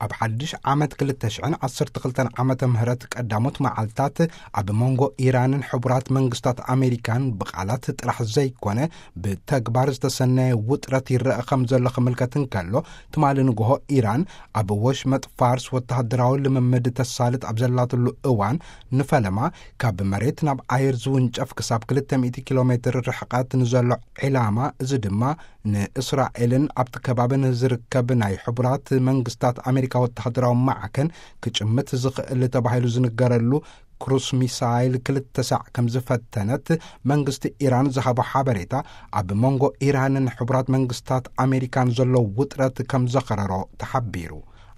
ኣብ ሓድሽ ዓመት ክልተ ሽሕን ዓሰርተ ክልተን ዓመተ ምህረት ቀዳሞት መዓልታት፣ ኣብ መንጎ ኢራንን ሕቡራት መንግስታት ኣሜሪካን ብቓላት ጥራሕ ዘይኮነ፣ ብተግባር ዝተሰነየ ውጥረት ይረአ ከም ዘሎ ክምልከት እንከሎ፣ ትማሊ ንግሆ ኢራን ኣብ ወሽመጥ ፋርስ ወተሃደራዊ ልምምድ ተሳልጥ ኣብ ዘላትሉ እዋን፣ ንፈለማ ካብ መሬት ናብ ኣየር ዝውንጨፍ ክሳብ ክልተ ሚእቲ ኪሎ ሜትር ርሕቐት ንዘሎ ዒላማ፣ እዚ ድማ ንእስራኤልን ኣብቲ ከባቢ ንዝርከብ ናይ ሕቡራት መንግስታት ኣሜሪካ ወተሃደራዊ ማዕከን ክጭምት ዝኽእል ተባሂሉ ዝንገረሉ ክሩስ ሚሳይል ክልተ ሳዕ ከም ዝፈተነት መንግስቲ ኢራን ዝሃቦ ሓበሬታ፣ ኣብ መንጎ ኢራንን ሕቡራት መንግስታት ኣሜሪካን ዘሎ ውጥረት ከም ዘኸረሮ ተሓቢሩ።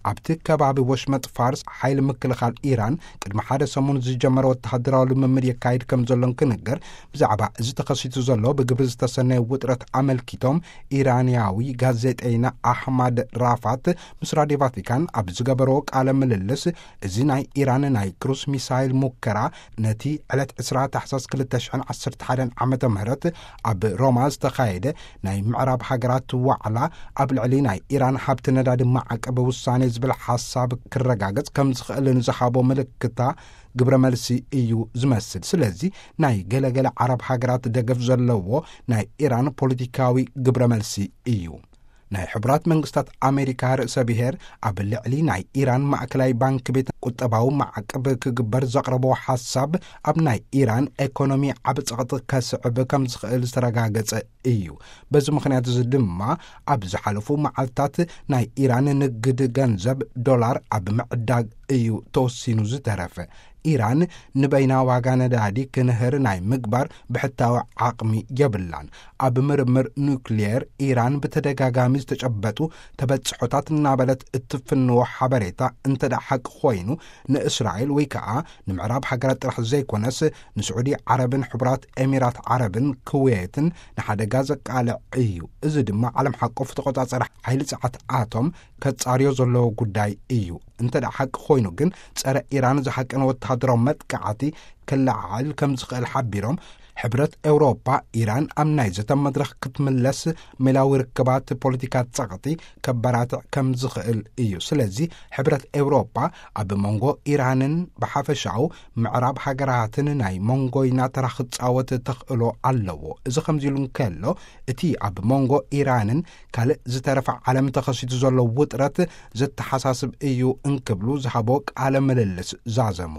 ኣብቲ ከባቢ ወሽመጥ ፋርስ፣ ሓይሊ ምክልኻል ኢራን ቅድሚ ሓደ ሰሙን ዝጀመረ ወተሃደራዊ ልምምድ የካይድ ከም ዘሎን ክንገር፣ ብዛዕባ እዚ ተኸሲቱ ዘሎ ብግብሪ ዝተሰነየ ውጥረት ኣመልኪቶም፣ ኢራንያዊ ጋዜጠይና ኣሕማድ ራፋት ምስ ራድዮ ቫቲካን ኣብ ዝገበርዎ ቃለ ምልልስ፣ እዚ ናይ ኢራን ናይ ክሩስ ሚሳይል ሙከራ፣ ነቲ ዕለት ዕስራ ታሕሳስ ክልተ ሽሕን ዓሰርተ ሓደን ዓመተ ምህረት ኣብ ሮማ ዝተኻየደ ናይ ምዕራብ ሃገራት ዋዕላ፣ ኣብ ልዕሊ ናይ ኢራን ሃብቲ ነዳዲ ማዕቀብ ውሳኔ ዝብል ሓሳብ ክረጋገጽ ከም ዝኽእል ንዝሃቦ ምልክታ ግብረ መልሲ እዩ ዝመስል። ስለዚ ናይ ገለገለ ዓረብ ሃገራት ደገፍ ዘለዎ ናይ ኢራን ፖለቲካዊ ግብረ መልሲ እዩ። ናይ ሕቡራት መንግስታት ኣሜሪካ ርእሰ ብሔር ኣብ ልዕሊ ናይ ኢራን ማእከላይ ባንክ ቤት ቁጠባዊ ማዕቀብ ክግበር ዘቕረቦ ሓሳብ፣ ኣብ ናይ ኢራን ኤኮኖሚ ዓቢ ጸቕጢ ከስዕብ ከም ዝኽእል ዝተረጋገጸ እዩ። በዚ ምኽንያት እዚ ድማ፣ ኣብ ዝሓለፉ መዓልታት ናይ ኢራን ንግድ ገንዘብ ዶላር ኣብ ምዕዳግ እዩ ተወሲኑ ዝተረፈ። ኢራን ንበይና ዋጋ ነዳዲ ክንህር ናይ ምግባር ብሕታዊ ዓቕሚ የብላን። ኣብ ምርምር ኑክልየር ኢራን ብተደጋጋሚ ዝተጨበጡ ተበጽሖታት እናበለት እትፍንዎ ሓበሬታ እንተ ደኣ ሓቂ ኮይኑ፣ ንእስራኤል ወይ ከኣ ንምዕራብ ሃገራት ጥራሕ ዘይኮነስ፣ ንስዑዲ ዓረብን ሕቡራት ኤሚራት ዓረብን ክውየትን ንሓደጋ ዘቃልዕ እዩ። እዚ ድማ ዓለም ሓቆፍ ተቆጻጸሪ ሓይሊ ጸዓት ኣቶም ከጻርዮ ዘለዎ ጉዳይ እዩ። እንተ ደኣ ሓቂ ኮይኑ ግን፣ ጸረ ኢራን ዝሓቀነ ወተሃደራዊ መጥቃዕቲ ክለዓል ከም ዝኽእል ሓቢሮም፣ ሕብረት ኤውሮፓ ኢራን ኣብ ናይ ዘተ መድረኽ ክትምለስ ሜላዊ ርክባት ፖለቲካ ጸቕጢ ከበራትዕ ከም ዝኽእል እዩ። ስለዚ ሕብረት ኤውሮፓ ኣብ መንጎ ኢራንን ብሓፈሻኡ ምዕራብ ሃገራትን ናይ መንጎይና ተራ ክጻወት ተኽእሎ ኣለዎ። እዚ ከምዚ ኢሉ እንከሎ፣ እቲ ኣብ መንጎ ኢራንን ካልእ ዝተረፈ ዓለም ተኸሲቱ ዘሎ ውጥረት ዘተሓሳስብ እዩ እንክብሉ ዝሃቦ ቃለ ምልልስ ዛዘሙ።